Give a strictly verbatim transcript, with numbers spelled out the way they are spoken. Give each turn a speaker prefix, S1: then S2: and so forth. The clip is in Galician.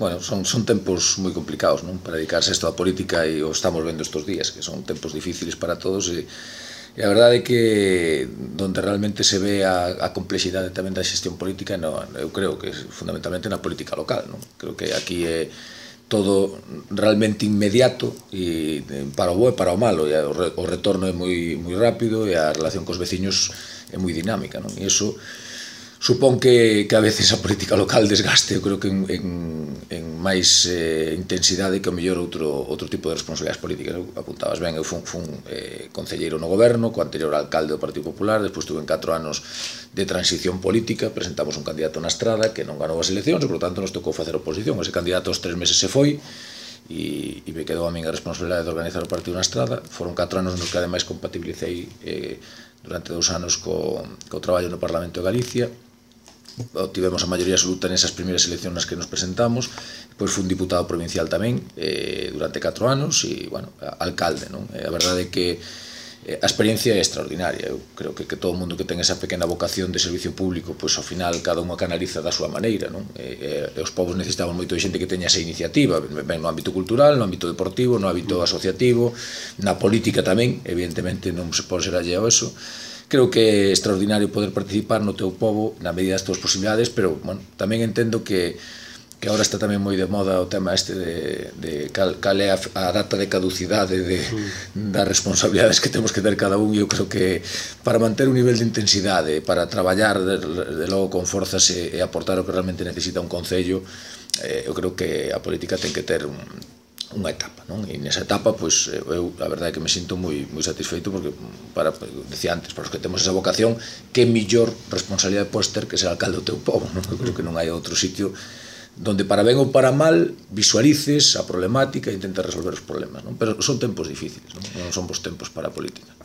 S1: bueno, son, son tempos moi complicados, non? Para dedicarse a isto da política, e o estamos vendo estes días, que son tempos difíciles para todos, e, e a verdade é que donde realmente se ve a, a complexidade tamén da xestión política, no, eu creo que fundamentalmente na política local, non? Creo que aquí é todo realmente inmediato, e para o bo e para o malo, e o retorno é moi, moi rápido, e a relación cos veciños é moi dinámica, non? E iso supón que, que a veces a política local desgaste, eu creo que en, en, en máis eh, intensidade que o mellor outro, outro tipo de responsabilidades políticas. Eu apuntabas ben, eu fun, fun eh, concelleiro no goberno, co anterior alcalde do Partido Popular, despois tuve en catro anos de transición política, presentamos un candidato na estrada que non ganou as eleccións, e por tanto nos tocou facer oposición. Ese candidato aos tres meses se foi, e, e me quedou a min a responsabilidade de organizar o partido na estrada. Foron catro anos nos que ademais compatibilicei eh, durante dous anos co, co traballo no Parlamento de Galicia. Obtivemos a maioría absoluta nesas primeiras eleccións nas que nos presentamos. Depois fui un diputado provincial tamén eh, durante catro anos, e, bueno, alcalde, non? E a verdade é que eh, a experiencia é extraordinaria. Eu creo que, que todo o mundo que ten esa pequena vocación de servicio público, pois ao final cada unha canaliza da súa maneira, non? E, e os povos necesitamos moito de xente que teña esa iniciativa, ben no ámbito cultural, no ámbito deportivo, no ámbito asociativo, na política tamén, evidentemente non se pode ser alleo a eso. Creo que é extraordinario poder participar no teu pobo na medida das tuas posibilidades, pero, bueno, tamén entendo que que agora está tamén moi de moda o tema este de, de cal, cal é a, a data de caducidade de, das responsabilidades que temos que ter cada un, e eu creo que para manter un nivel de intensidade, para traballar de, de logo con forzas e, e aportar o que realmente necesita un concello, eh, eu creo que a política ten que ter un unha etapa, non? E nesa etapa, pois, eu, a verdade é que me sinto moi, moi satisfeito, porque, para, decía antes, para os que temos esa vocación, que mellor responsabilidade podes ter que ser alcalde do teu pobo, non? Eu creo que non hai outro sitio donde, para ben ou para mal, visualices a problemática e intentes resolver os problemas, non? Pero son tempos difíciles, non? Non son bons tempos para a política.